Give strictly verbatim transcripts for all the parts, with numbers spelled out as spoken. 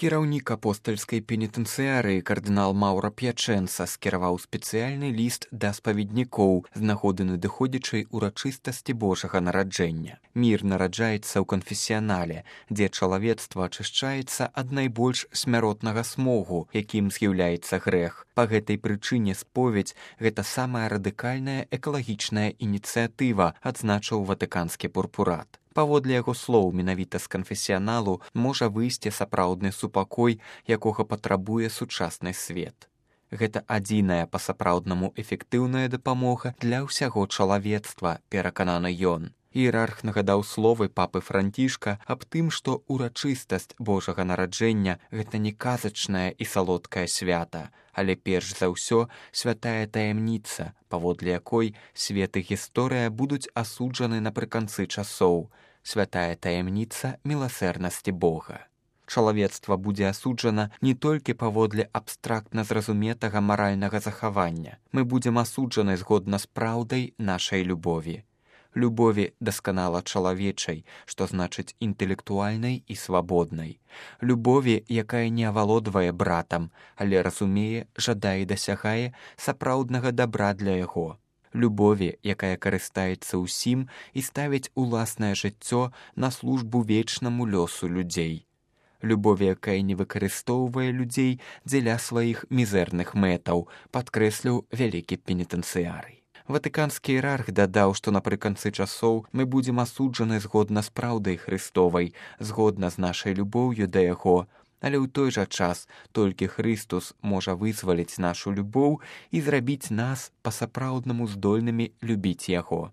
Кіраўнік апостальскай пенітэнцыярыі кардынал Маўра П'ячэнца скіраваў спецыяльны ліст да спаведнікоў з нагоды надыходзячай урачыстасці Божага нараджэння. Мір нараджаецца ў канфесіянале, дзе чалавецтва ачышчаецца ад найбольш смяротнага смогу, якім з'яўляецца грэх. Па гэтай прычыне споведь – гэта самая радыкальная экалагічная ініцыятыва, адзначыў ватыканскі пурпурат. Паводле яго слоў, менавіта з канфесіяналу можа выйсці сапраўдны супакой, якога патрабуе сучасны свет. Гэта адзіная па-сапраўднаму эфектыўная дапамога для ўсяго чалавецтва, перакананы ён. Іерарх нагадаў словы папы Францішка аб тым, што урачыстасць Божага нараджэння – гэта не казачнае і салодкае свята, але перш за ўсё святая таямніца, паводле якой свет і гісторыя будуць асуджаны напрыканцы часоў. Святая таямніца міласэрнасці Бога. Чалавецтва будзе асуджана не толькі паводле абстрактна зразуметага маральнага захавання. Мы будзем асуджаны згодна з праўдай нашай любові. Любові дасканала чалавечай, што значыць інтэлектуальнай і свабоднай. Любові, якая не авалодвае братам, але разумее, жадае і дасягае сапраўднага дабра для яго. Любові, якая карыстаецца ўсім і ставіць уласнае жыццё на службу вечнаму лёсу людзей. Любові, якая не выкарыстоўвае людзей дзеля сваіх мізэрных мэтаў, падкрэсліў вялікі пенітэнцыярый. Ватыканскі іерарх дадаў, што напрыканцы часоў мы будзем асуджаны згодна з праўдай Христовай, згодна з нашай любоўю да яго, але ў той жа час толькі Христус можа вызваліць нашу любоў і зрабіць нас па-сапраўднаму здольнымі любіць яго.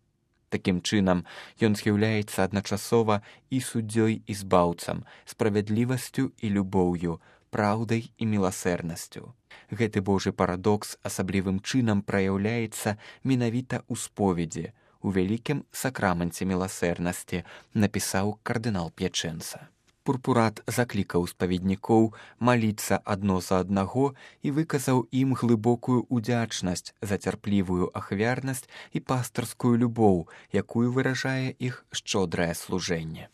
Такім чынам, ён з'яўляецца адначасова і суддзёй і збаўцам, справядлівасцю і любоўю, праўдай і міласэрнасцю. Гэты Божы парадокс асаблівым чынам праяўляецца менавіта ў споведзі, у вялікім сакраманце міласэрнасці, напісаў кардынал П'ячэнца. Пурпурат заклікаў спаведнікоў маліцца адно за аднаго і выказаў ім глыбокую удзячнасць за цярплівую ахвярнасць і пастырскую любоў, якую выражае іх шчодрае служэнне.